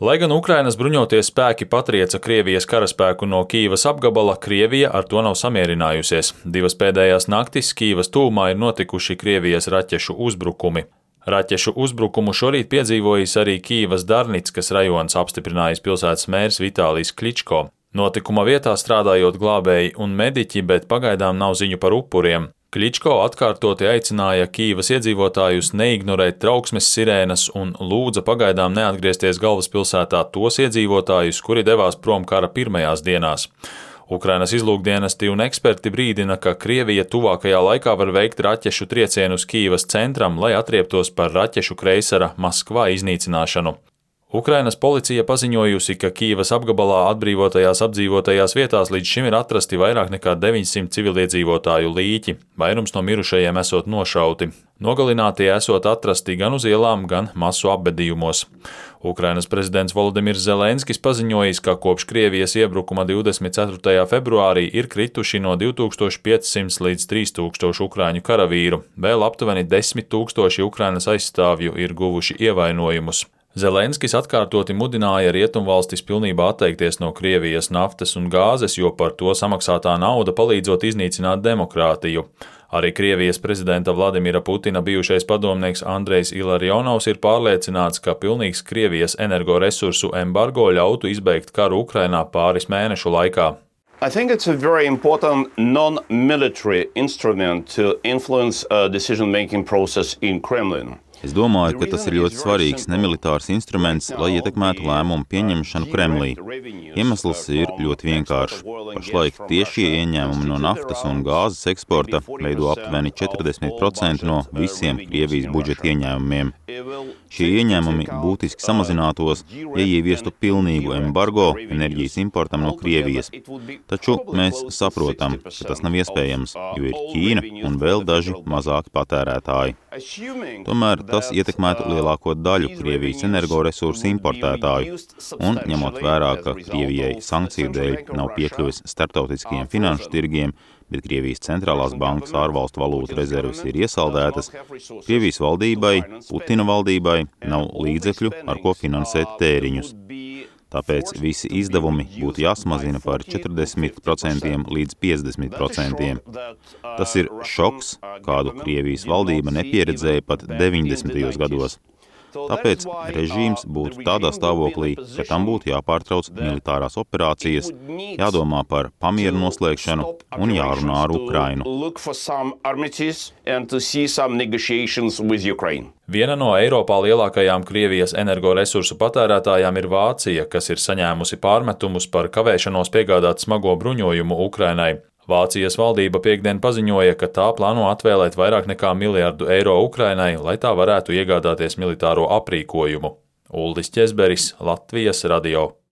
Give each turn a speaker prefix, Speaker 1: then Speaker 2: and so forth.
Speaker 1: Lai gan Ukrainas bruņoties spēki patrieca Krievijas karaspēku no Kīivas apgabala, Krievija ar to nav samierinājusies. Divas pēdējās naktis Kīivas tuvumā ir notikuši Krievijas raķešu uzbrukumi. Raķešu uzbrukumu šorīt piedzīvojis arī Kīivas Darnickas rajons, apstiprinājis pilsētas mērs Vitālijs Kličko. Notikuma vietā strādājot glābēji un mediķi, bet pagaidām nav ziņu par upuriem. Kličko atkārtoti aicināja Kīivas iedzīvotājus neignorēt trauksmes sirēnas un lūdza pagaidām neatgriezties galvaspilsētā tos iedzīvotājus, kuri devās prom kara pirmajās dienās. Ukrainas izlūkdienesti un eksperti brīdina, ka Krievija tuvākajā laikā var veikt raķešu triecienus Kīivas centram, lai atrieptos par raķešu kreisara Maskvā iznīcināšanu. Ukrainas policija paziņojusi, ka Kīivas apgabalā atbrīvotajās apdzīvotajās vietās līdz šim ir atrasti vairāk nekā 900 civiliedzīvotāju līķi, vairums no mirušajiem esot nošauti. Nogalinātie esot atrasti gan uz ielām, gan masu apbedījumos. Ukrainas prezidents Volodimirs Zelenskis paziņojis, ka kopš Krievijas iebrukuma 24. februārī ir krituši no 2500 līdz 3000 ukraiņu karavīru, vēl aptuveni 10 000 Ukrainas aizstāvju ir guvuši ievainojumus. Zelenskis atkārtoti mudināja rietumvalstis pilnībā atteikties no Krievijas naftas un gāzes, jo par to samaksātā nauda palīdzot iznīcināt demokrātiju. Arī Krievijas prezidenta Vladimira Putina bijušais padomnieks Andrejs Ilarionovs ir pārliecināts, ka pilnīgs Krievijas energoresursu embargo ļautu izbeigt karu Ukrainā pāris mēnešu laikā.
Speaker 2: I think it's a very important non-military instrument to influence a decision-making process in Kremlin.
Speaker 3: Es domāju, ka tas ir ļoti svarīgs nemilitārs instruments, lai ietekmētu lēmumu pieņemšanu Kremlī. Iemesls ir ļoti vienkāršs. Pašlaik tiešie ieņēmumi no naftas un gāzes eksporta veido aptuveni 40% no visiem Krievijas budžeta ieņēmumiem. Šie ieņēmumi būtiski samazinātos, ja ieviestu pilnīgu embargo enerģijas importam no Krievijas. Taču mēs saprotam, ka tas nav iespējams, jo ir Ķīna un vēl daži mazāki patērētāji. Tomēr tas ietekmētu lielāko daļu Krievijas energoresursu importētāju, un ņemot vērā, ka Krievijai sankciju dēļ nav piekļuvis starptautiskajiem finanšu tirgiem, bet Krievijas centrālās bankas ārvalstu valūtu rezerves ir iesaldētas, Krievijas valdībai, Putina valdībai nav līdzekļu, ar ko finansēt tēriņus. Tāpēc visi izdevumi būtu jāsamazina par 40% līdz 50%. Tas ir šoks, kādu Krievijas valdība nepieredzēja pat 90. gados. Tāpēc režīms būtu tādā stāvoklī, ka tam būtu jāpārtrauc militārās operācijas, jādomā par pamieru noslēgšanu un jārunā ar Ukrainu.
Speaker 1: Viena no Eiropā lielākajām Krievijas energoresursu patērētājām ir Vācija, kas ir saņēmusi pārmetumus par kavēšanos piegādāt smago bruņojumu Ukrainai. Vācijas valdība piektdien paziņoja, ka tā plāno atvēlēt vairāk nekā €1 miljardu Ukrainai, lai tā varētu iegādāties militāro aprīkojumu. Uldis Ķezberis, Latvijas radio.